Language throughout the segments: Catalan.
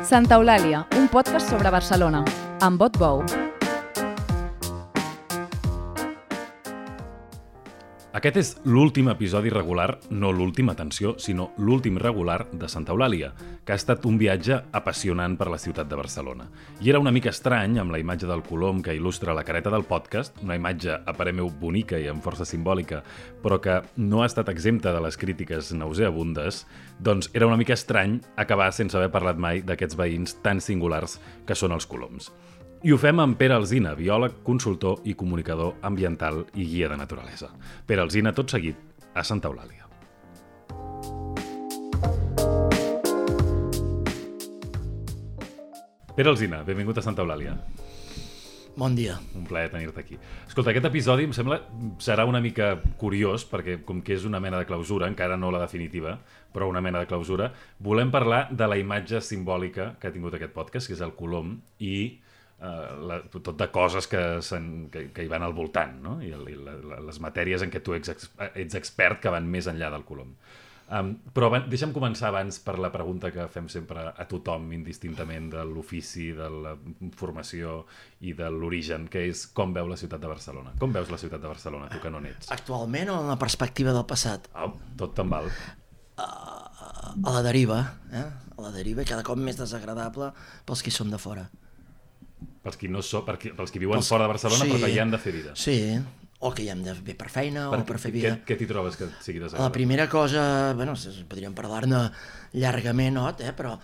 Santa Eulàlia, un podcast sobre Barcelona, amb Bot Bou. Aquest és l'últim episodi regular, no l'últim, atenció, sinó l'últim regular de Santa Eulàlia, que ha estat un viatge apassionant per la ciutat de Barcelona. I era una mica estrany, amb la imatge del colom que il·lustra la careta del podcast, una imatge a parer meu bonica i amb força simbòlica, però que no ha estat exempta de les crítiques nauseabundes, doncs era una mica estrany acabar sense haver parlat mai d'aquests veïns tan singulars que són els coloms. I ho fem amb Pere Alsina, biòleg, consultor i comunicador ambiental i guia de naturalesa. Pere Alsina, tot seguit, a Santa Eulàlia. Pere Alsina, benvingut a Santa Eulàlia. Bon dia. Un plaer tenir-te aquí. Escolta, aquest episodi em sembla serà una mica curiós, perquè com que és una mena de clausura, encara no la definitiva, però una mena de clausura, volem parlar de la imatge simbòlica que ha tingut aquest podcast, que és el colom, i tot de coses que hi van al voltant, no? I les matèries en què tu ets expert que van més enllà del colom. Però deixa'm començar abans per la pregunta que fem sempre a tothom, indistintament de l'ofici, de la formació i de l'origen, que és com veu la ciutat de Barcelona. Com veus la ciutat de Barcelona, tu que no n'ets? Actualment o en la perspectiva del passat? Tot te'n val. A la deriva, a la deriva, cada cop més desagradable pels qui som de fora. Pels qui viuen fora de Barcelona, sí, però que hi han de fer vida. Sí, o que hi hem de fer per feina o per fer vida. Què t'hi trobes que sigui desagradable? La primera cosa, bueno, podríem parlar-ne llargament, però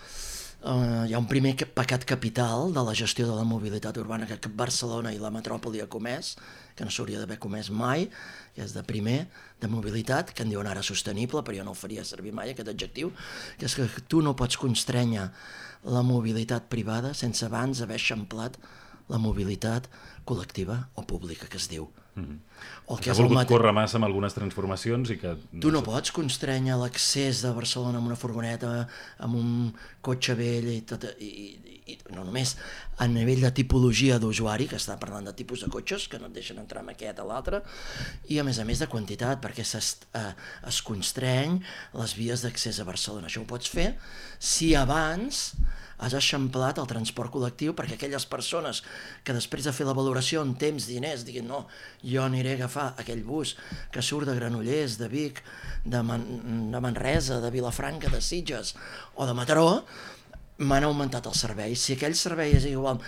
hi ha un primer pecat capital de la gestió de la mobilitat urbana que Barcelona i la metròpoli ha comès, que no s'hauria d'haver comès mai, que és de primer, de mobilitat, que en diuen ara sostenible, però jo no el faria servir mai, aquest adjectiu, que és que tu no pots constrènyer la mobilitat privada sense abans haver eixamplat la mobilitat col·lectiva o pública, que es diu. Ha volgut córrer massa amb algunes transformacions i que... Tu no pots constrènyer l'accés de Barcelona amb una furgoneta, amb un cotxe vell i tot, i no només a nivell de tipologia d'usuari, que està parlant de tipus de cotxes, que no et deixen entrar amb aquest o l'altre, i a més de quantitat, perquè es constreny les vies d'accés a Barcelona. Això ho pots fer si abans has eixamplat el transport col·lectiu perquè aquelles persones que després de fer la valoració en temps, diners, diguin no, jo aniré a agafar aquell bus que surt de Granollers, de Vic, de Manresa, de Vilafranca, de Sitges o de Mataró, m'han augmentat el servei. Si aquell servei és igual,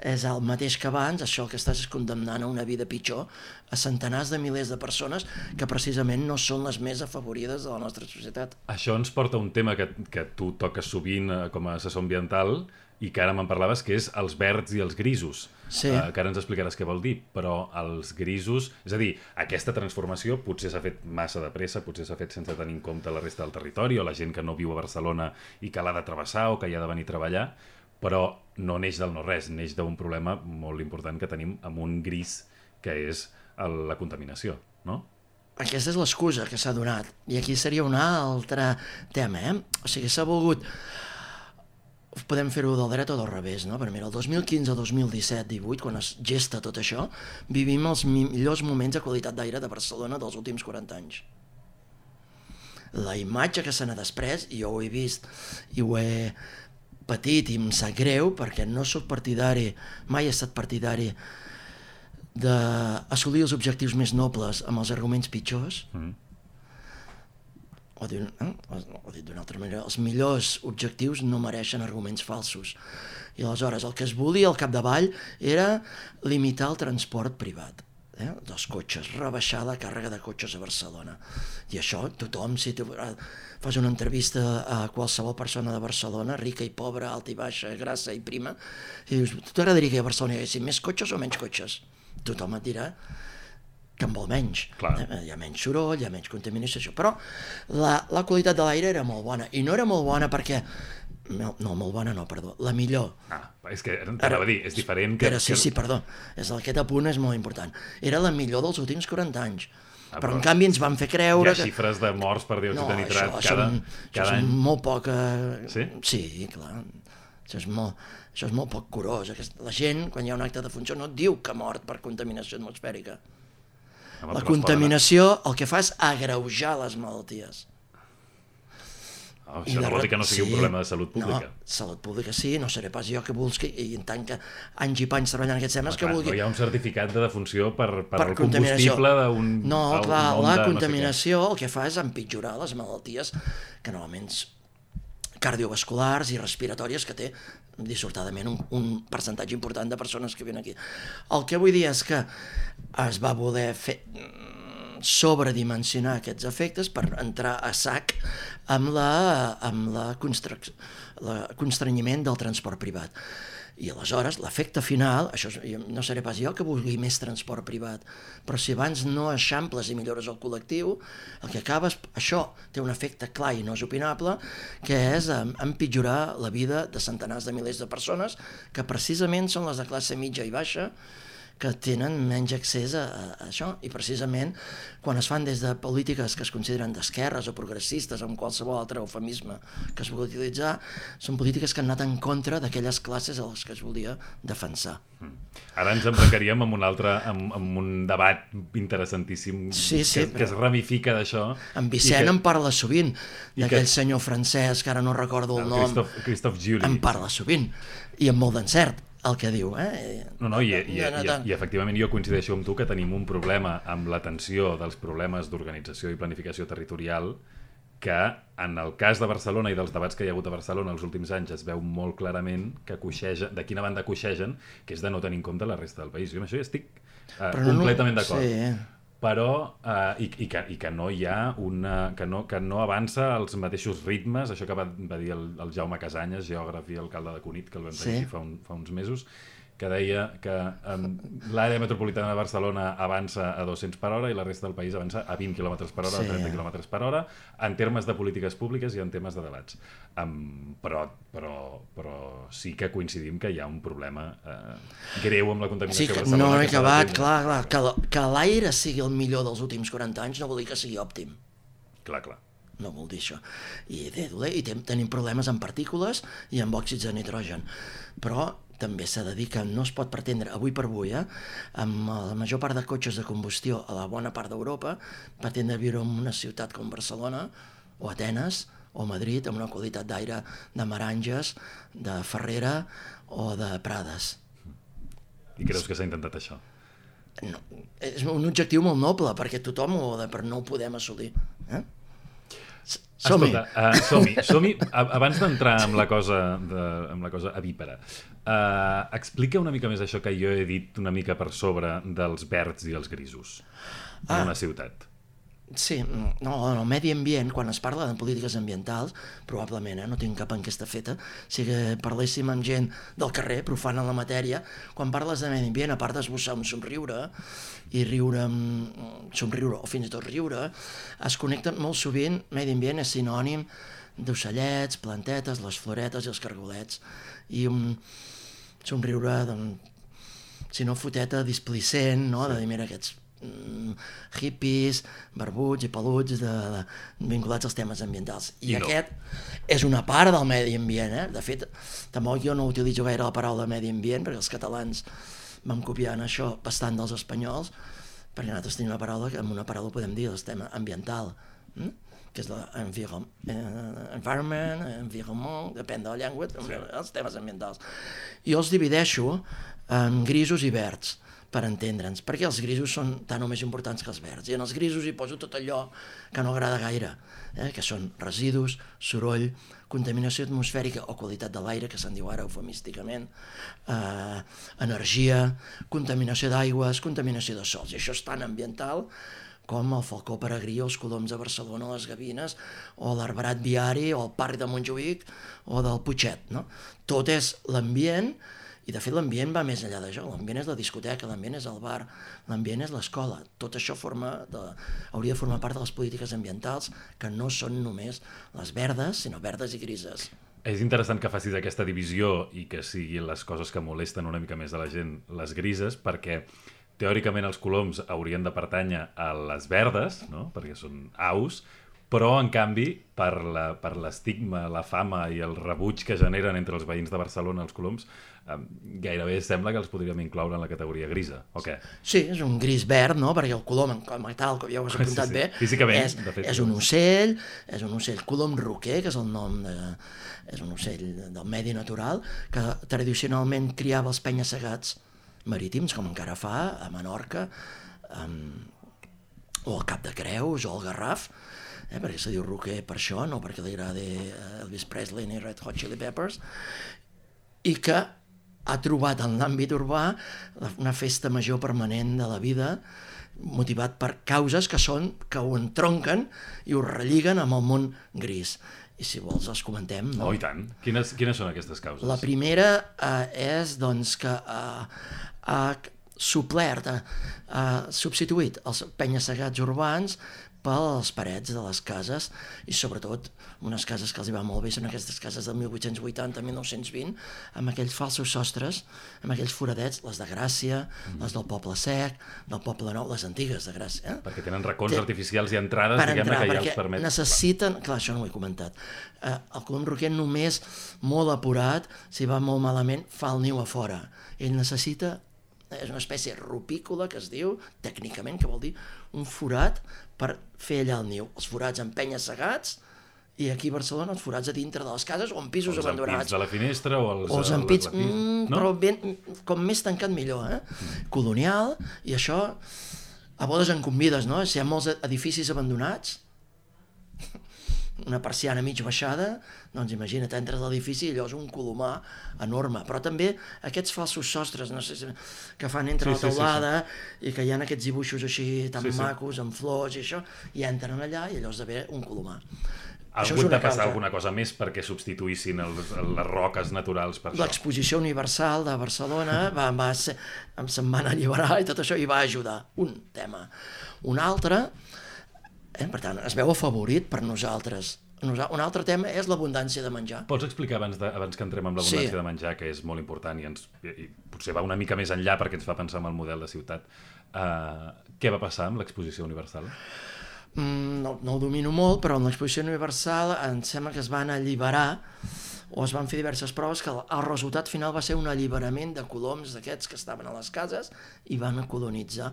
és el mateix que abans, això que estàs condemnant a una vida pitjor a centenars de milers de persones que precisament no són les més afavorides de la nostra societat. Això ens porta a un tema que tu toques sovint com a assessor ambiental i que ara me'n parlaves, que és els verds i els grisos. Sí. Que ara ens explicaràs què vol dir, però els grisos... És a dir, aquesta transformació potser s'ha fet massa de pressa, potser s'ha fet sense tenir en compte la resta del territori o la gent que no viu a Barcelona i que l'ha de travessar o que hi ha de venir a treballar, però no neix del no-res, neix d'un problema molt important que tenim amb un gris, que és la contaminació, no? Aquesta és l'excusa que s'ha donat. I aquí seria un altre tema, O sigui, s'ha volgut... Podem fer-ho del dret o del revés, no? Però mira, el 2015, 2017, 18, quan es gesta tot això, vivim els millors moments de qualitat d'aire de Barcelona dels últims 40 anys. La imatge que se n'ha després, i jo ho he vist i ho he patit i em sap greu, perquè no soc partidari, mai he estat partidari d'assolir els objectius més nobles amb els arguments pitjors, o dit d'una altra manera, els millors objectius no mereixen arguments falsos. I aleshores el que es volia al capdavall era limitar el transport privat dels cotxes, rebaixar la càrrega de cotxes a Barcelona. I això tothom, si tu fas una entrevista a qualsevol persona de Barcelona, rica i pobra, alta i baixa, grassa i prima, i dius, t'agradaria que a Barcelona hi haguessin més cotxes o menys cotxes? Tothom et dirà que en vol menys. Hi ha menys soroll, hi ha menys contaminació, però la qualitat de l'aire era molt bona, i no era molt bona perquè... No, molt bona no, perdó, la millor. És que t'anava a dir, és diferent que... Sí, perdó, aquest apunt és molt important. Era la millor dels últims 40 anys. Però en canvi ens van fer creure... Hi ha xifres de morts per diòxid de nitrat cada any. Això és molt poc... Sí? Sí, clar. Això és molt poc curós. La gent, quan hi ha un acte de funció, no et diu que ha mort per contaminació atmosfèrica. La contaminació el que fa és agreujar les malalties. Això no vol dir que no sigui un problema de salut pública. No, salut pública sí, no seré pas jo que busqui, i en tant que anys i panys treballant en aquests temes, que vulgui... No hi ha un certificat de defunció per el combustible d'un... No, clar, la contaminació el que fa és empitjorar les malalties que normalment cardiovasculars i respiratòries que té dissortadament un percentatge important de persones que viuen aquí. El que vull dir és que es va voler fer sobredimensionar aquests efectes per entrar a sac amb la constrenyiment del transport privat. I aleshores l'efecte final, això no seré pas jo que vulgui més transport privat, però si abans no eixamples i millores el col·lectiu, el que acabes, això té un efecte clar i no és opinable, que és empitjorar la vida de centenars de milers de persones que precisament són les de classe mitja i baixa, que tenen menys accés a això, i precisament quan es fan des de polítiques que es consideren d'esquerres o progressistes, amb qualsevol altre eufemisme que es vulgui utilitzar, són polítiques que han anat en contra d'aquelles classes a les que es volia defensar. Ara ens embarcaríem amb un debat interessantíssim que es ramifica d'això. En Vicent en parla sovint, d'aquell senyor francès, que ara no recordo el nom. Christophe Julie. En parla sovint, i amb molt d'encert el que diu. I efectivament jo coincideixo amb tu que tenim un problema amb l'atenció dels problemes d'organització i planificació territorial que en el cas de Barcelona i dels debats que hi ha hagut a Barcelona els últims anys es veu molt clarament que de quina banda coixegen, que és de no tenir en compte la resta del país. Jo amb això hi estic completament d'acord. Sí. Però i que no hi ha que no avança als mateixos ritmes, això que va dir el Jaume Casanyes, geògraf i alcalde de Cunit, que el vam tenir fa uns mesos, que deia que l'àrea metropolitana de Barcelona avança a 200 per hora i la resta del país avança a 20 km per hora, a 30 km per hora, en termes de polítiques públiques i en temes de debats. Però sí que coincidim que hi ha un problema greu amb la contaminació a Barcelona. No he acabat, clar, que l'aire sigui el millor dels últims 40 anys no vol dir que sigui òptim. Clar. No vol dir això. I tenim problemes amb partícules i amb òxids de nitrogen. Però també s'ha de dir que no es pot pretendre, avui per avui, amb la major part de cotxes de combustió a la bona part d'Europa, pretendre viure en una ciutat com Barcelona, o Atenes, o Madrid, amb una qualitat d'aire de Meranges, de Ferrera o de Prades. I creus que s'ha intentat això? No, és un objectiu molt noble, perquè tothom però no ho podem assolir. Som-hi. Som-hi. Abans d'entrar amb la cosa avípara, explica una mica més això que jo he dit una mica per sobre dels verds i els grisos en una ciutat. Sí, no, en el medi ambient, quan es parla de polítiques ambientals, probablement, no tinc cap enquesta feta, si parléssim amb gent del carrer, profana en la matèria, quan parles de medi ambient, a part d'esbossar un somriure, i somriure o fins i tot riure, es connecta molt sovint, medi ambient és sinònim d'ocellets, plantetes, les floretes i els cargolets, i un somriure, si no foteta, displicent, no? De dir, mira, aquests hippies, barbuts i peluts vinculats als temes ambientals. I aquest és una part del medi ambient. De fet, tampoc jo no utilitzo gaire la paraula medi ambient, perquè els catalans vam copiar en això bastant dels espanyols, perquè nosaltres tenim una paraula que amb una paraula podem dir el tema ambiental, que és environment, environment, depèn de la llengua, els temes ambientals. Jo els divideixo en grisos i verds, per entendre'ns, perquè els grisos són tan o més importants que els verds, i en els grisos hi poso tot allò que no agrada gaire, que són residus, soroll, contaminació atmosfèrica o qualitat de l'aire, que se'n diu ara eufemísticament, energia, contaminació d'aigües, contaminació de sols, i això és tan ambiental com el falcó peregrí, els coloms de Barcelona, les gavines, o l'arbrat viari, o el parc de Montjuïc, o del Putxet, no? Tot és l'ambient. I de fet l'ambient va més enllà d'això, l'ambient és la discoteca, l'ambient és el bar, l'ambient és l'escola, tot això hauria de formar part de les polítiques ambientals que no són només les verdes, sinó verdes i grises. És interessant que facis aquesta divisió i que siguin les coses que molesten una mica més a la gent les grises, perquè teòricament els coloms haurien de pertànyer a les verdes, no? Perquè són aus, però en canvi per l'estigma, la fama i el rebuig que generen entre els veïns de Barcelona els coloms, gairebé sembla que els podríem incloure en la categoria grisa, o què? Sí, és un gris verd, no? Perquè el colom, com a tal, com ja ho has apuntat bé, físicament, de fet, és un ocell, colom roquer, que és el nom és un ocell del medi natural, que tradicionalment criava els penya-segats marítims, com encara fa, a Menorca, o al Cap de Creus, o al Garraf, perquè se diu roquer per això, no perquè li agradi Elvis Presley ni Red Hot Chili Peppers, i que ha trobat en l'àmbit urbà una festa major permanent de la vida, motivat per causes que ho entronquen i ho relliguen amb el món gris. I si vols els comentem, no? Oh, i tant. Quines són aquestes causes? La primera és doncs, que ha suplert, ha substituït els penya-segats urbans pels parets de les cases, i sobretot unes cases que els hi va molt bé són aquestes cases del 1880-1920, amb aquells falsos sostres, amb aquells foradets, les de Gràcia, les del Poble Sec, del Poble Nou, les antigues de Gràcia. Perquè tenen racons artificials i entrades, diguem-ne, que ja els permet... Necessiten, clar, això no ho he comentat, el colom roquer només molt apurat, si va molt malament, fa el niu a fora. Ell necessita, és una espècie rupícola que es diu, tècnicament, que vol dir un forat per fer allà el niu. Els forats en penya-segats, i aquí a Barcelona els forats a dintre de les cases o en pisos abandonats. Els ampits de la finestra o els ampits, no? Però ben, com més tancat millor, colonial, i això a bodes en convides, no? Si hi ha molts edificis abandonats, una persiana mig baixada, doncs imagina't, entres a l'edifici i allò és un colomar enorme, però també aquests falsos sostres, no sé, que fan entre la teulada i que hi ha aquests dibuixos així tan macos, amb flors i això, i entren allà i allò esdevé un colomar. Ha hagut de passar alguna cosa més perquè substituïssin les roques naturals per això? L'Exposició Universal de Barcelona se'n van alliberar i tot això, i va ajudar. Un tema. Un altre, per tant, es veu afavorit per nosaltres. Un altre tema és l'abundància de menjar. Pots explicar abans que entrem amb l'abundància de menjar, que és molt important i potser va una mica més enllà perquè ens fa pensar en el model de ciutat. Què va passar amb l'Exposició Universal? No ho domino molt, però en l'Exposició Universal em sembla que es van alliberar o es van fer diverses proves que el resultat final va ser un alliberament de coloms d'aquests que estaven a les cases i van colonitzar,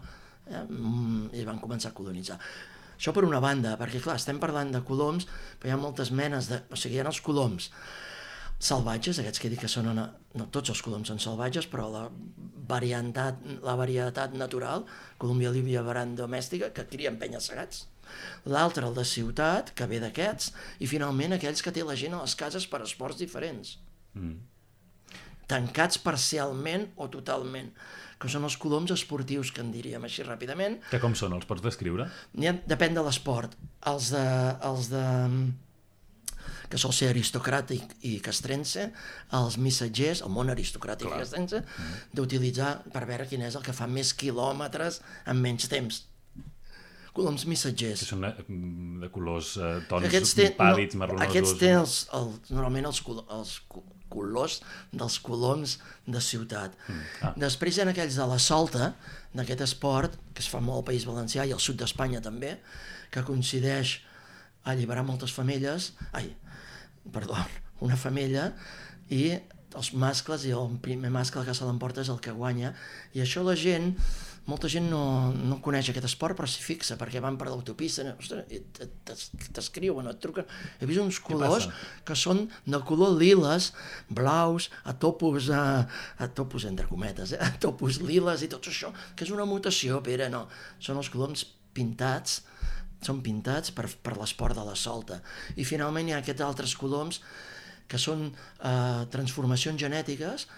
i van començar a colonitzar. Això per una banda, perquè clar, estem parlant de coloms, però hi ha moltes menes o sigui, hi ha els coloms salvatges, aquests que dic que són, no tots els coloms són salvatges, però la varietat natural, Columbia livia varan domèstica, que crien penya-segats. L'altre, el de ciutat, que ve d'aquests, i finalment aquells que té la gent a les cases per esports diferents. Tancats parcialment o totalment, que són els coloms esportius, que en diríem així ràpidament. Que com són? Els pots descriure? Depèn de l'esport. Els de que sol ser aristocràtic i castrense, els missatgers, el món aristocràtic i castrense, d'utilitzar per veure quin és el que fa més quilòmetres en menys temps. Coloms missatgers. Que són de colors, tons pàl·lids, marronosos. Aquests tenen normalment els colors dels coloms de ciutat. Després hi ha aquells de la solta, d'aquest esport, que es fa molt al País Valencià i al sud d'Espanya també, que coincideix a alliberar moltes femelles, una femella, i els mascles, i el primer mascle que se l'emporta és el que guanya, i això molta gent no coneix aquest esport, però s'hi fixa, perquè van per l'autopista, t'escriuen, et truquen. He vist uns colors que són de color liles, blaus, a topos entre cometes, a topos liles i tot això, que és una mutació, Pere, no. Són els coloms pintats, són pintats per l'esport de la solta. I finalment hi ha aquests altres coloms que són transformacions genètiques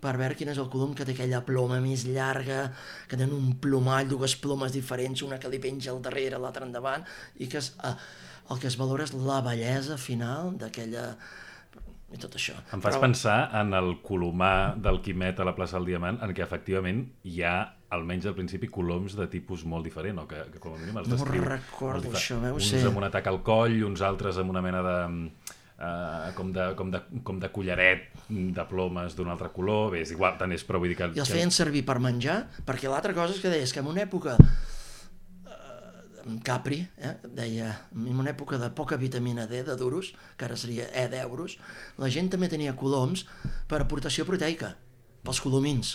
per veure quin és el colom que té aquella ploma més llarga, que tenen un plomall, dues plomes diferents, una que li penja al darrere, l'altra endavant, i que el que es valora és la bellesa final d'aquella... i tot això. Em fas pensar en el colomar del Quimet a la plaça del Diamant, en què efectivament hi ha, almenys al principi, coloms de tipus molt diferent, o que com a mínim els descriu. No recordo això, uns amb un atac al coll, uns altres amb una mena de... com de collaret de plomes d'un altre color, bé, és igual, tant és, però vull dir que... I els feien servir per menjar, perquè l'altra cosa és que deies que en una època Capri, deia, en una època de poca vitamina D, de duros, que ara seria E d'euros, la gent també tenia coloms per aportació proteica, pels colomins,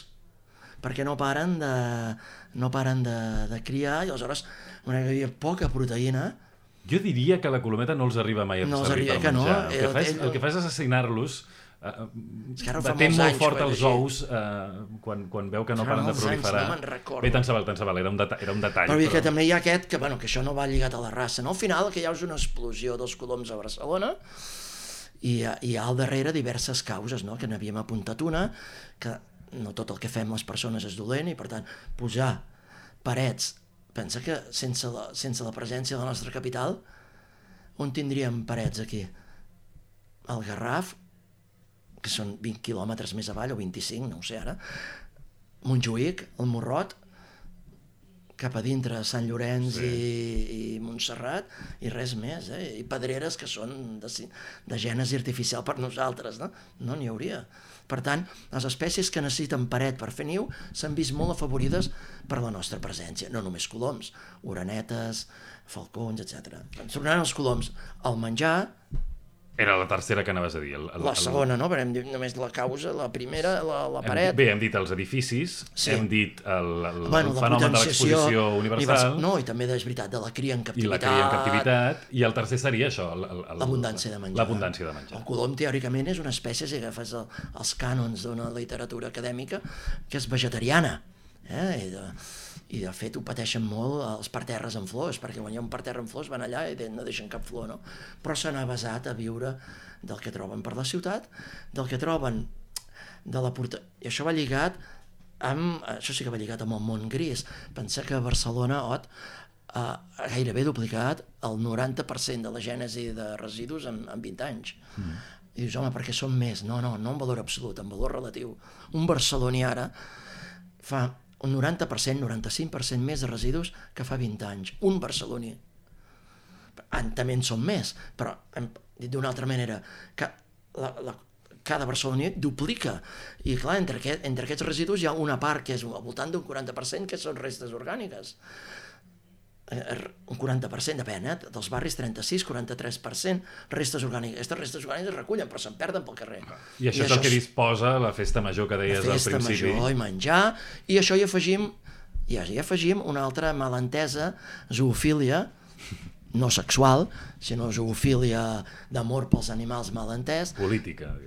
perquè no paren de criar, i aleshores, hi havia poca proteïna. Jo diria que la colometa no els arriba mai a servir per menjar. El que fa és assassinar-los. Batent molt fort els ous quan veu que no paren de proliferar. Bé, tant se val, era un detall. Però que també hi ha aquest, que això no va lligat a la raça. Al final, que hi ha una explosió dels coloms a Barcelona, i hi ha al darrere diverses causes, que n'havíem apuntat una, que no tot el que fem les persones és dolent, i per tant, posar parets. Pensa que sense la presència de la nostra capital, on tindríem parets aquí? El Garraf, que són 20 quilòmetres més avall, o 25, no ho sé ara, Montjuïc, el Morrot, cap a dintre, Sant Llorenç i Montserrat, i res més, i pedreres que són de gènesi artificial per nosaltres, no n'hi hauria. Per tant, les espècies que necessiten paret per fer niu s'han vist molt afavorides per la nostra presència, no només coloms, orenetes, falcons, etc. Tornant als coloms, el menjar... Era la tercera que anaves a dir. La segona, no? Perquè hem dit només la causa, la primera, la paret... Bé, hem dit els edificis, hem dit el fenomen de l'exposició universal... No, i també, és veritat, de la cria en captivitat... I la cria en captivitat, i el tercer seria això, l'abundància de menjar. L'abundància de menjar. El colom, teòricament, és una espècie, si agafes els cànons d'una literatura acadèmica, que és vegetariana, i de fet ho pateixen molt els parterres en flors, perquè quan hi ha un parterre en flors van allà i no deixen cap flor, no? Però s'han avasat a viure del que troben per la ciutat, del que troben de la i això va lligat això sí que va lligat amb el món gris. Pensa que a Barcelona ha gairebé duplicat el 90% de la gènesi de residus en 20 anys. I dius, home, perquè són més? No en valor absolut, en valor relatiu. Un barceloní ara fa un 90%, 95% més de residus que fa 20 anys. Un barceloní. També en són més, però, dit d'una altra manera, cada barceloní duplica. I clar, entre aquests residus hi ha una part que és al voltant d'un 40% que són restes orgàniques. Un 40%, depèn, dels barris 36, 43%, restes orgàniques. Aquestes restes orgàniques es recullen, però se'n perden pel carrer. I això és el que disposa la festa major que deies al principi. La festa major i menjar, i això hi afegim una altra malentesa, zoofília, no sexual, sinó zoofília d'amor pels animals malentès. Política,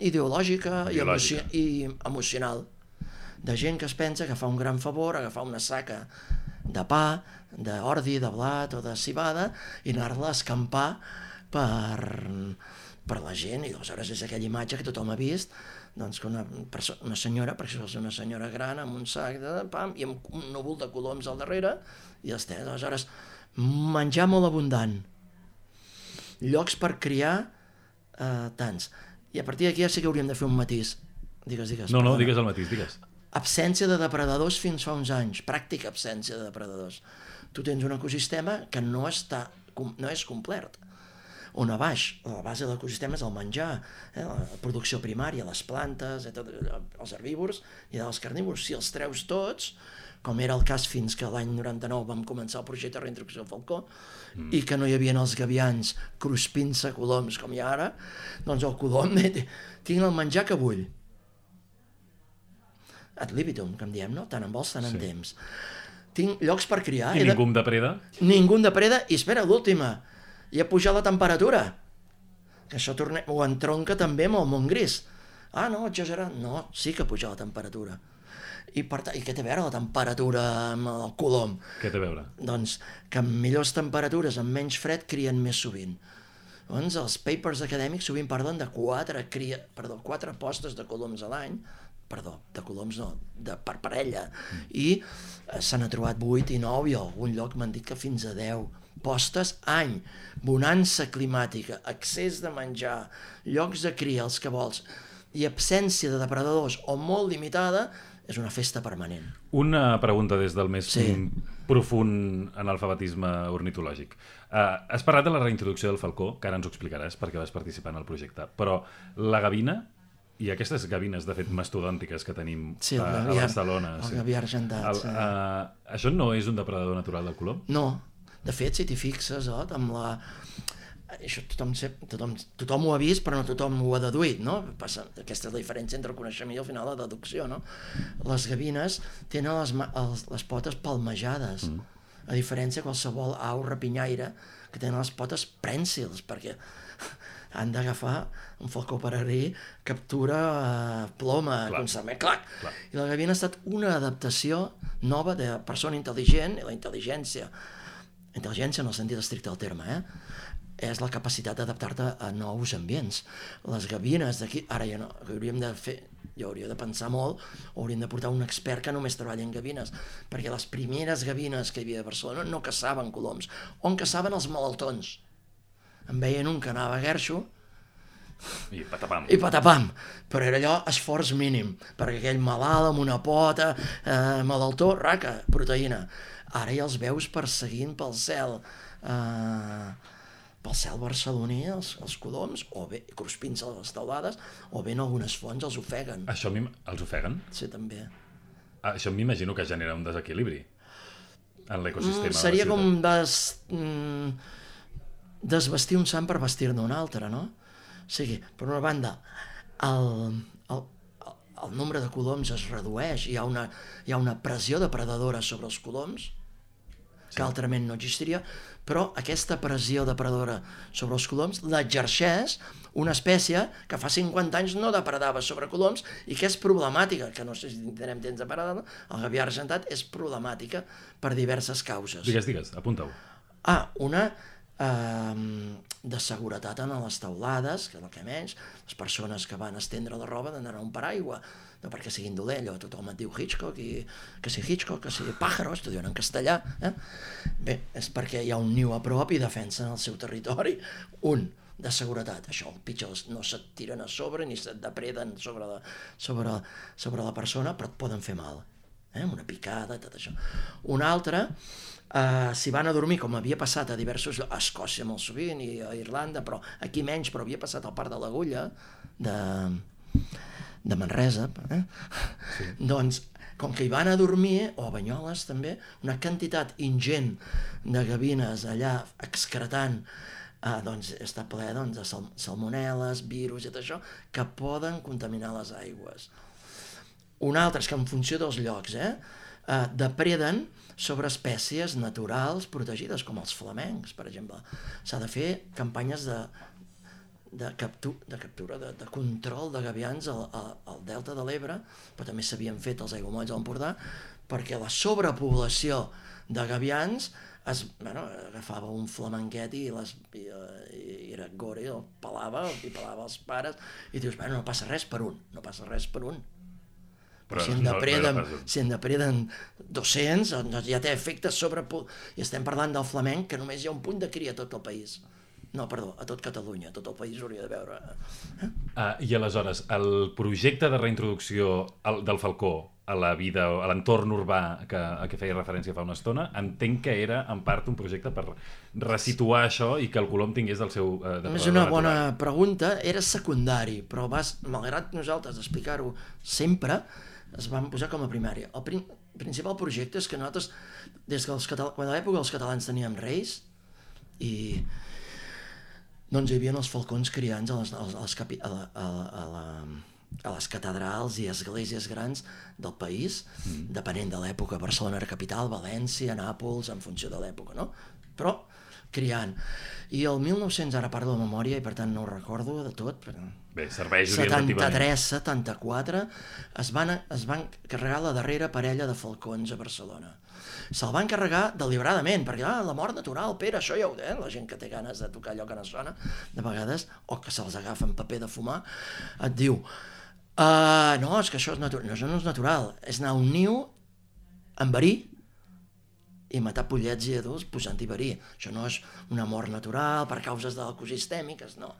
ideològica i emocional. De gent que es pensa que fa un gran favor agafar una saca de pa, d'ordi, de blat o de cibada i anar-la a escampar per la gent, i aleshores és aquella imatge que tothom ha vist, doncs que una senyora, perquè és una senyora gran amb un sac de pam i amb un núvol de coloms al darrere i aleshores menjar molt abundant, llocs per criar tants, i a partir d'aquí ja sí que hauríem de fer un matís. Digues. No, digues el matís, digues. Absència de depredadors fins fa uns anys, pràctica absència de depredadors. Tu tens un ecosistema que no és complet. On a baix, la base de l'ecosistema és el menjar, la producció primària, les plantes, els herbívors i els carnívors. Si els treus tots, com era el cas fins que l'any 99 vam començar el projecte de reintroducció del falcó, i que no hi havia els gavians cruspint-se coloms com hi ha ara, doncs el colom tinc el menjar que vull. Ad libitum, que en diem, no? Tant en vols, tant en temps. Tinc llocs per criar. I ningú em depreda? Ningú em depreda, i espera, l'última, i ha pujat la temperatura, que això ho entronca també amb el món gris. No, exagerat. No, sí que ha pujat la temperatura. I què té a veure la temperatura amb el colom? Què té a veure? Doncs que amb millors temperatures, amb menys fred, crien més sovint. Doncs els papers acadèmics sovint parlen de 4 postes de coloms a l'any, de coloms no, per parella, i se n'ha trobat 8 i 9, i a algun lloc m'han dit que fins a 10 postes any, bonança climàtica, accés de menjar, llocs de cria, els que vols, i absència de depredadors o molt limitada, és una festa permanent. Una pregunta des del més profund analfabetisme ornitològic. Has parlat de la reintroducció del falcó, que ara ens ho explicaràs perquè vas participar en el projecte, però la gavina i aquestes gavines, de fet, mastodòntiques que tenim a Barcelona... El gavià argentat, això no és un depredador natural del colom? No, De fet, si t'hi fixes, amb la... Això tothom ho ha vist, però no tothom ho ha deduït, no? Aquesta és la diferència entre el coneixement i al final la deducció, no? Les gavines tenen les potes palmejades, a diferència de qualsevol au rapinyaire que tenen les potes prènsils, perquè han d'agafar un falcó peregrí, captura ploma, constantment, clac! I la gavina ha estat una adaptació nova de persona intel·ligent, i la intel·ligència en el sentit estricte del terme, és la capacitat d'adaptar-te a nous ambients. Les gavines d'aquí, ara ja no, jo hauria de pensar molt, hauríem de portar un expert que només treballa en gavines, perquè les primeres gavines que hi havia a Barcelona no caçaven coloms, on caçaven els malaltons. En veien un que anava a guerxo, i patapam. Però era allò esforç mínim, perquè aquell malalt amb una pota, malaltó, raca, proteïna. Ara ja els veus perseguint pel cel barceloní, els coloms, o bé cruspint-se a les teulades, o bé en algunes fonts els ofeguen. Això els ofeguen? Sí, també. Això m'imagino que genera un desequilibri en l'ecosistema. Seria com desvestir un sant per vestir-ne un altre, no? O sigui, per una banda, el nombre de coloms es redueix, hi ha una pressió depredadora sobre els coloms, que altrament no existiria, però aquesta pressió depredadora sobre els coloms l'exerceix una espècie que fa 50 anys no depredava sobre coloms i que és problemàtica, que no sé si tindrem temps de parlar, el gavià argentat és problemàtica per diverses causes. Digues, apunta-ho. Una de seguretat en les teulades, que és el que menys, les persones que van estendre la roba han d'anar a un paraigua, no perquè siguin dolent, tothom et diu Hitchcock, que si Hitchcock, que si Pájaros, t'ho diuen en castellà. Bé, és perquè hi ha un niu a prop i defensen el seu territori. De seguretat, això, els pitjors no se't tiren a sobre ni se't depreden sobre la persona, però et poden fer mal. Una picada, tot això. Una altra, si van a dormir, com havia passat a diversos llocs, a Escòcia molt sovint i a Irlanda, però aquí menys, però havia passat al Parc de l'Agulla de Manresa, doncs, com que hi van a dormir, o a Banyoles també, una quantitat ingent de gavines allà excretant, doncs està ple de salmonel·les, virus i tot això, que poden contaminar les aigües. Un altre és que en funció dels llocs, depreden sobre espècies naturals protegides, com els flamencs, per exemple. S'ha de fer campanyes de captura, de control de gavians al delta de l'Ebre, però també s'havien fet els aiguamolls a l'Empordà, perquè la sobrepoblació de gavians agafava un flamenquet i era gore, el pelava els pares, i dius, no passa res per un. Però si en depreden 200, ja té efectes i estem parlant del flamenc, que només hi ha un punt de cria a tot el país. No, perdó, a tot Catalunya, tot el país hauria de veure. I aleshores, el projecte de reintroducció del falcó a la vida, a l'entorn urbà a què feia referència fa una estona, entenc que era en part un projecte per resituar això i que el colom tingués el seu depredador És una bona pregunta, era secundari, però malgrat nosaltres explicar-ho sempre, es van posar com a primària. El principal projecte és que nosaltres, quan a l'època els catalans teníem reis, i doncs hi havia els falcons criants a les catedrals i esglésies grans del país, depenent de l'època. Barcelona era capital, València, Nàpols, en funció de l'època, no? Però criant. I el 1900, ara parlo de memòria i per tant no ho recordo de tot, però... Bé, serveix orientativament. 73-74 es van carregar la darrera parella de falcons a Barcelona. Se'l van carregar deliberadament, perquè la mort natural, Pere, això ja ho la gent que té ganes de tocar allò que no sona, de vegades, o que se'ls agafa en paper de fumar, et diu, no, és que això és natural. No, això no és natural, és anar a un niu amb verí i matar pollets i adults posant-hi verí. Això no és una mort natural per causes ecosistèmiques, no.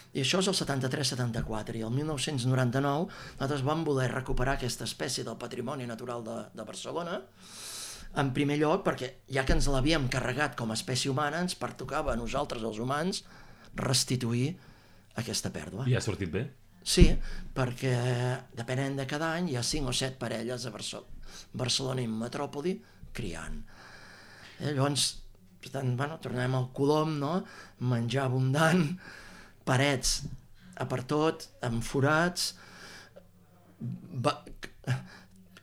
I això és el 73-74, i el 1999 nosaltres vam voler recuperar aquesta espècie del patrimoni natural de Barcelona, en primer lloc perquè ja que ens l'havíem carregat com a espècie humana, ens pertocava a nosaltres, els humans, restituir aquesta pèrdua. I ha sortit bé? Sí, perquè depenent de cada any hi ha 5 o 7 parelles a Barcelona i Metròpoli criant. Llavors Per tant, tornem al Colom, no? Menjar abundant, parets a per tot, amb forats,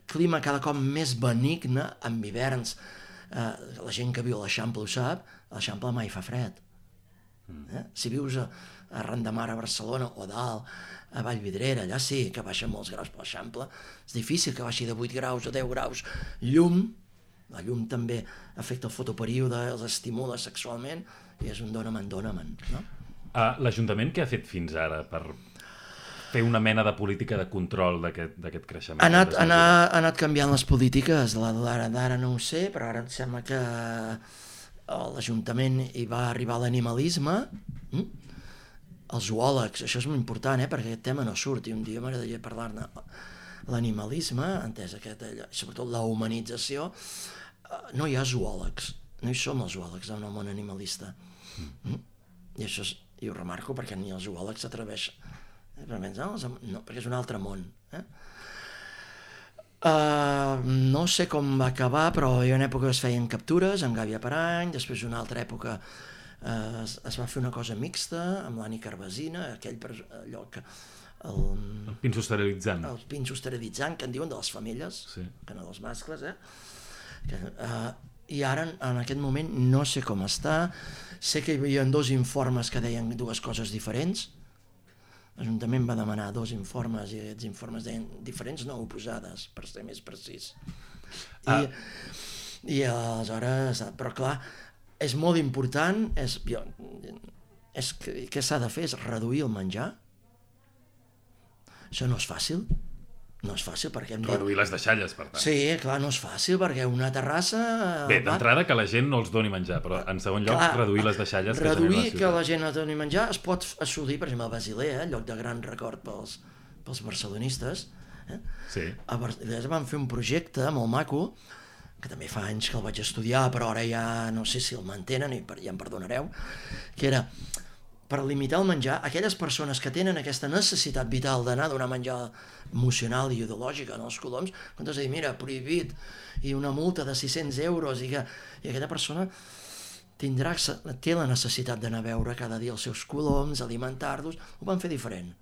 clima cada cop més benigne, amb hiverns. La gent que viu a l'Eixample ho sap, a l'Eixample mai fa fred. Si vius a Ran de Mar a Barcelona o dalt, a Vallvidrera, allà sí que baixen molts graus per l'Eixample. És difícil que baixi de 8 graus a 10 graus. Llum, la llum també afecta el fotoperíode, els estimula sexualment, i és un dóna'm, no? L'Ajuntament què ha fet fins ara per fer una mena de política de control d'aquest creixement? Ha anat canviant les polítiques, d'ara no ho sé, però ara em sembla que l'Ajuntament hi va arribar l'animalisme, els zoòlegs, això és molt important, perquè aquest tema no surt, i un dia m'agradaria parlar-ne. L'animalisme, entès sobretot la humanització, no hi ha zoòlegs, no hi som els zoòlegs en el món animalista. I això ho remarco perquè ni els zoòlegs s'atreveixen. No, perquè és un altre món. No sé com va acabar, però hi ha una època que es feien captures amb gàbia per any, després una altra època es va fer una cosa mixta amb l'Ani Carvasina, allò que el pinso esterilitzant. El pinso esterilitzant, que en diuen de les femelles, que no dels mascles, i ara en aquest moment no sé com està. Sé que hi havia 2 informes que deien 2 coses diferents. L'Ajuntament va demanar 2 informes i aquests informes deien diferents, no oposades, per ser més precís. I aleshores, però clar, és molt important, què s'ha de fer és reduir el menjar. Això no és fàcil. No és fàcil perquè... Reduir les deixalles, per tant. Sí, clar, no és fàcil perquè una terrassa... Bé, d'entrada que la gent no els doni menjar, però en segon lloc reduir les deixalles que genera la ciutat. Que la gent no doni menjar es pot assolir, per exemple, a Basilea, lloc de gran record pels barcelonistes. Sí. A Basilea van fer un projecte molt maco, que també fa anys que el vaig estudiar, però ara ja no sé si el mantenen i ja em perdonareu, que era per limitar el menjar, aquelles persones que tenen aquesta necessitat vital d'anar a donar menjar emocional i ideològic en els coloms, quan has de dir, mira, prohibit, i una multa de 600 euros, i aquella persona té la necessitat d'anar a veure cada dia els seus coloms, alimentar-los, ho van fer diferent.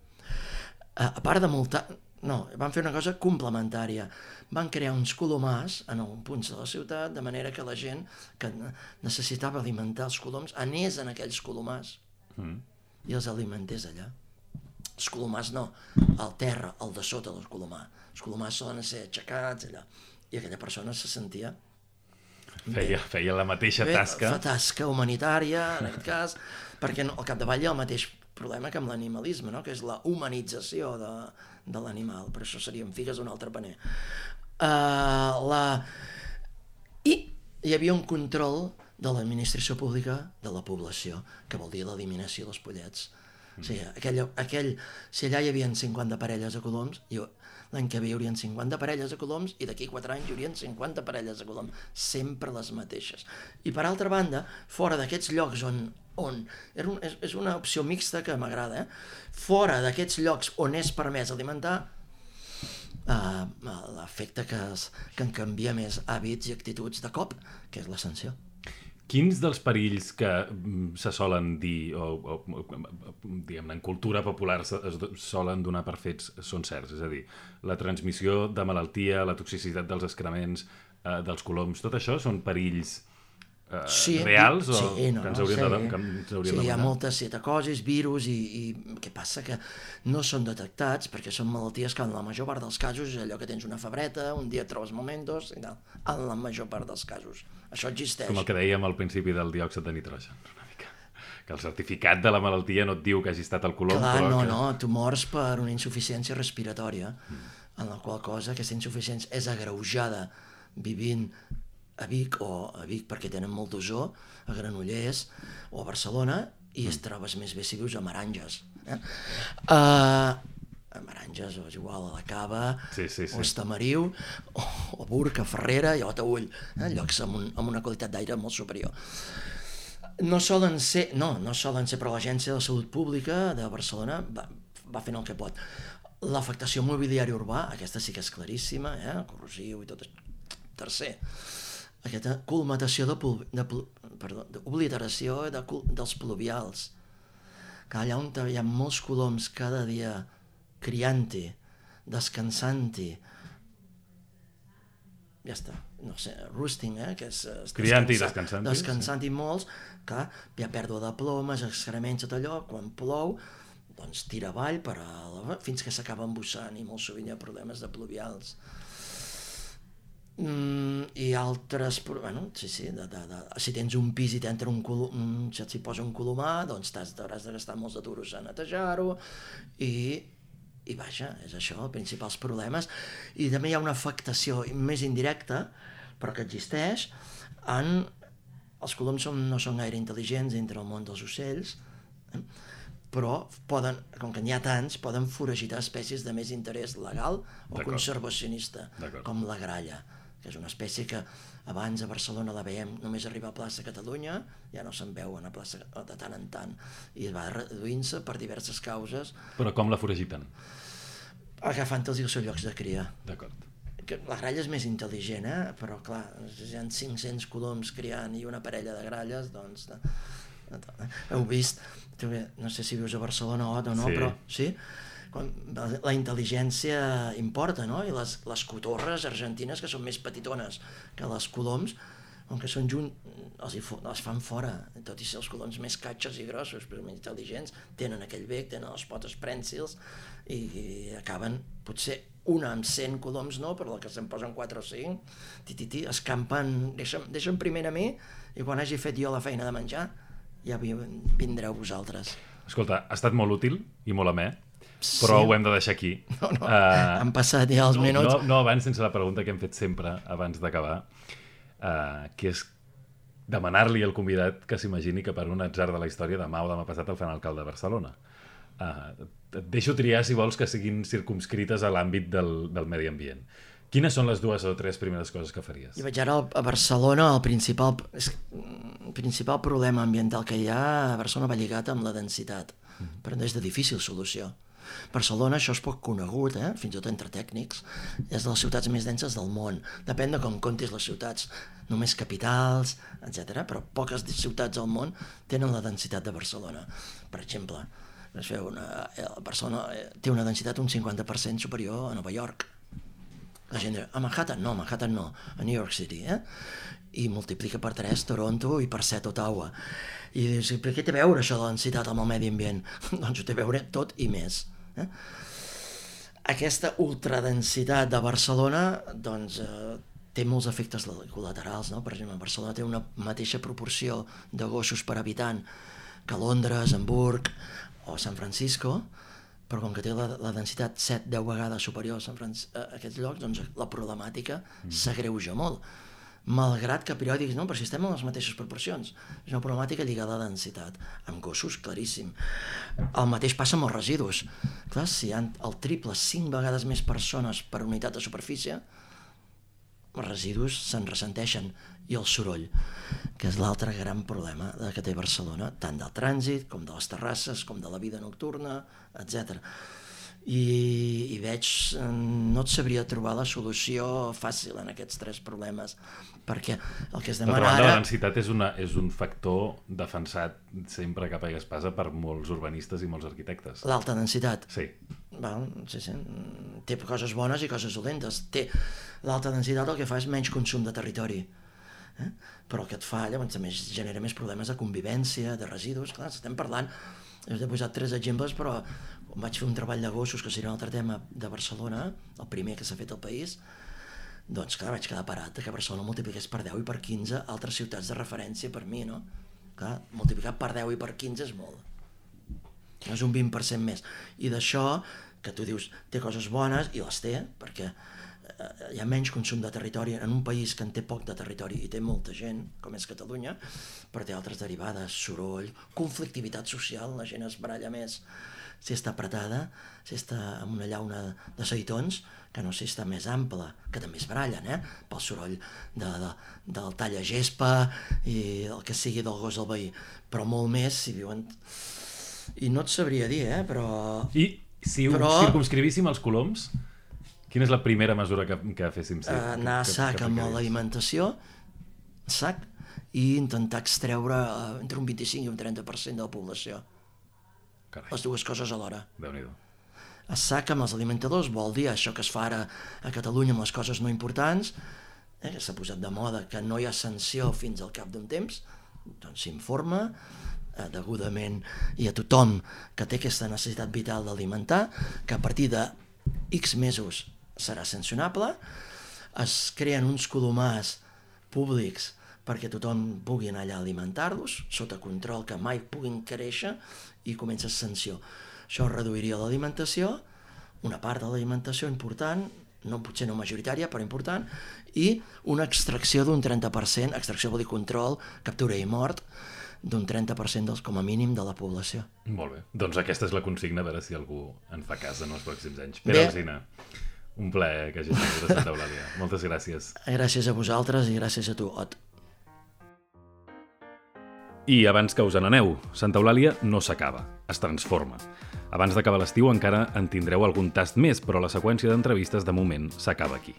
A part de multar... No, van fer una cosa complementària. Van crear uns colomars en alguns punts de la ciutat, de manera que la gent que necessitava alimentar els coloms anés en aquells colomars i els alimentés allà. Els colomars no, al terra, al de sota del colomar. Els colomars solen ser aixecats allà. I aquella persona se sentia... Feia la mateixa tasca. Tasca humanitària, en aquest cas, perquè al capdavall hi ha el mateix problema que amb l'animalisme, no? Que és la humanització de l'animal, però això serien figues d'un altre paner. I hi havia un control de l'administració pública de la població, que vol dir l'eliminació dels pollets. O sigui, si allà hi havia 50 parelles de coloms, l'any que ve hi haurien 50 parelles de coloms i d'aquí 4 anys hi haurien 50 parelles de coloms, sempre les mateixes. I per altra banda, fora d'aquests llocs on és una opció mixta que m'agrada, fora d'aquests llocs on és permès alimentar, l'efecte que en canvia més hàbits i actituds de cop, que és la sanció. Quins dels perills que se solen dir, o diguem-ne, en cultura popular es solen donar per fets són certs? És a dir, la transmissió de malaltia, la toxicitat dels excrements, dels coloms, tot això són perills reals o que ens haurien de demanar? Hi ha moltes citocosis, virus, i què passa? Que no són detectats perquè són malalties que en la major part dels casos és allò que tens una febreta, un dia et trobes momentos, i tal, en la major part dels casos. Això existeix. Com el que dèiem al principi del diòxid de nitrogen, una mica. Que el certificat de la malaltia no et diu que hagi estat el colom. Clar, no, tu mors per una insuficiència respiratòria, en la qual cosa aquesta insuficiència és agreujada vivint a Vic perquè tenen molt d'ozó, a Granollers o a Barcelona, i es trobes més bé si vius a Meranges. A Meranges, o és igual, a la Cava, o a Estamariu, o Burc, a Ferrera i a Taüll, llocs amb una qualitat d'aire molt superior. No solen ser, però l'Agència de Salut Pública de Barcelona va fent el que pot. L'afectació mobiliària urbà, aquesta sí que és claríssima, corrosiu i tot això. Tercer, aquesta colmatació de obliteració dels pluvials. Que allà on hi ha molts coloms cada dia criant-hi, descansant-hi, ja està, no sé, roosting, que és criant-hi i descansant-hi. Descansant-hi molts, clar, hi ha pèrdua de plomes, excrements, tot allò, quan plou, doncs tira avall fins que s'acaba embussant i molt sovint hi ha problemes de pluvials. I altres, bueno, sí, si tens un pis i t'entra si posa un colomar, doncs t'hauràs de gastar molts de duros a netejar-ho i vaja, és això, els principals problemes. I també hi ha una afectació més indirecta, però que existeix, els coloms no són gaire intel·ligents entre el món dels ocells, però com que n'hi ha tants, poden foragitar espècies de més interès legal o conservacionista, com la gralla, que és una espècie que abans a Barcelona la veiem només arribar a plaça Catalunya, ja no se'n veuen a plaça de tant en tant, i va reduint-se per diverses causes. Però com la foragiten? Agafant-los els seus llocs de cria. D'acord. La gralla és més intel·ligent, però clar, si hi ha 500 coloms criant i una parella de gralles, doncs... Heu vist, no sé si vius a Barcelona o no, però sí? La intel·ligència importa, no? I les cotorres argentines, que són més petitones que les coloms, com que són les fan fora, tot i ser els coloms més catxos i grossos, però més intel·ligents, tenen aquell bec, tenen les potes prènsils i acaben, potser una amb 100 coloms no, però la que se'n posen 4 o 5, escampen, deixen primer a mi i quan hagi fet jo la feina de menjar ja vindreu vosaltres. Escolta, ha estat molt útil i molt amè, però ho hem de deixar aquí. No, han passat ja els minuts. No abans, sense la pregunta que hem fet sempre abans d'acabar, que és demanar-li al convidat que s'imagini que per un atzar de la història demà o demà passat el fan alcalde de Barcelona. Et deixo triar, si vols, que siguin circumscrites a l'àmbit del medi ambient. Quines són les 2 o 3 primeres coses que faries? I vaig ara a Barcelona, el principal problema ambiental que hi ha a Barcelona va lligat amb la densitat, però és de difícil solució. Barcelona, això és poc conegut, fins i tot entre tècnics, és de les ciutats més denses del món. Depèn de com comptis les ciutats, només capitals, etc. Però poques ciutats al món tenen la densitat de Barcelona. Per exemple, Barcelona té una densitat un 50% superior a Nova York. La gent diu, a Manhattan no, a New York City, i multiplica per 3 Toronto i per 7 Ottawa. I dius, per què té a veure això de la densitat amb el medi ambient? Doncs ho té a veure tot i més. Aquesta ultradensitat de Barcelona doncs, té molts efectes col·laterals, no? Per exemple, Barcelona té una mateixa proporció de gossos per habitant que Londres, Hamburg o San Francisco, però com que té la densitat 7-10 vegades superior a aquests llocs, doncs la problemàtica s'agreuja molt. Malgrat que periòdics, no, però si estem en les mateixes proporcions. És una problemàtica lligada a la densitat. Amb gossos, claríssim. El mateix passa amb els residus. Clar, si hi ha el triple, 5 vegades més persones per unitat de superfície, els residus se'n ressenteixen. I el soroll, que és l'altre gran problema que té Barcelona, tant del trànsit, com de les terrasses, com de la vida nocturna, etc. I veig, no et sabria trobar la solució fàcil en aquests 3 problemes, perquè el que es demana ara... La densitat és un factor defensat sempre capa i espasa per molts urbanistes i molts arquitectes. L'alta densitat? Sí. Sí. Té coses bones i coses dolentes. L'alta densitat el que fa és menys consum de territori. Però el que et fa, llavors també genera més problemes de convivència, de residus. Clar, estem parlant, he posat 3 exemples, però vaig fer un treball de gossos, que seria un altre tema de Barcelona, el primer que s'ha fet al país, doncs clar, vaig quedar parat que Barcelona multipliqués per 10 i per 15 altres ciutats de referència per mi, no? Clar, multiplicar per 10 i per 15 és molt. És un 20% més. I d'això, que tu dius, té coses bones, i les té, perquè hi ha menys consum de territori en un país que en té poc de territori i té molta gent, com és Catalunya, però té altres derivades, soroll, conflictivitat social, la gent es baralla més si està apretada, si està en una llauna de seitons, que no si està més ampla, que també es barallen, pel soroll del talla-gespa i el que sigui del gos del veí, però molt més si viuen... I no et sabria dir, però... I si circumscrivíssim els coloms, quina és la primera mesura que féssim? Anar a sac amb l'alimentació, sac, i intentar extreure entre un 25 i un 30% de la població. Carai. Les dues coses alhora. Déu-n'hi-do. A sac amb els alimentadors vol dir això que es fa ara a Catalunya amb les coses no importants, que s'ha posat de moda que no hi ha sanció fins al cap d'un temps, doncs s'informa degudament i a tothom que té aquesta necessitat vital d'alimentar, que a partir de X mesos serà sancionable, es creen uns colomars públics perquè tothom pugui anar allà a alimentar-los, sota control, que mai puguin créixer, i comença sanció. Això reduiria l'alimentació, una part de l'alimentació important, potser no majoritària, però important, i una extracció d'un 30%, extracció vol dir control, captura i mort, d'un 30% com a mínim de la població. Molt bé. Doncs aquesta és la consigna, a veure si algú en fa cas en els pròxims anys. Pere Alsina, un plaer que hagis vingut a Santa Eulàlia. Moltes gràcies. Gràcies a vosaltres i gràcies a tu, Ot. I abans que us n'aneu, Santa Eulàlia no s'acaba, es transforma. Abans d'acabar l'estiu encara en tindreu algun tast més, però la seqüència d'entrevistes de moment s'acaba aquí.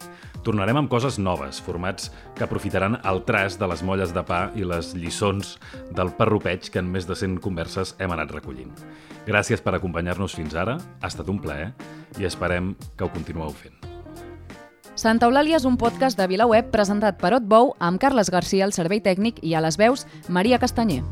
Tornarem amb coses noves, formats que aprofitaran el trast de les molles de pa i les lliçons del parrupeig que en més de 100 converses hem anat recollint. Gràcies per acompanyar-nos fins ara, ha estat un plaer i esperem que ho continueu fent. Santa Eulàlia és un podcast de VilaWeb presentat per Ot Bou amb Carles Garcia al servei tècnic i a les veus Maria Castanyer.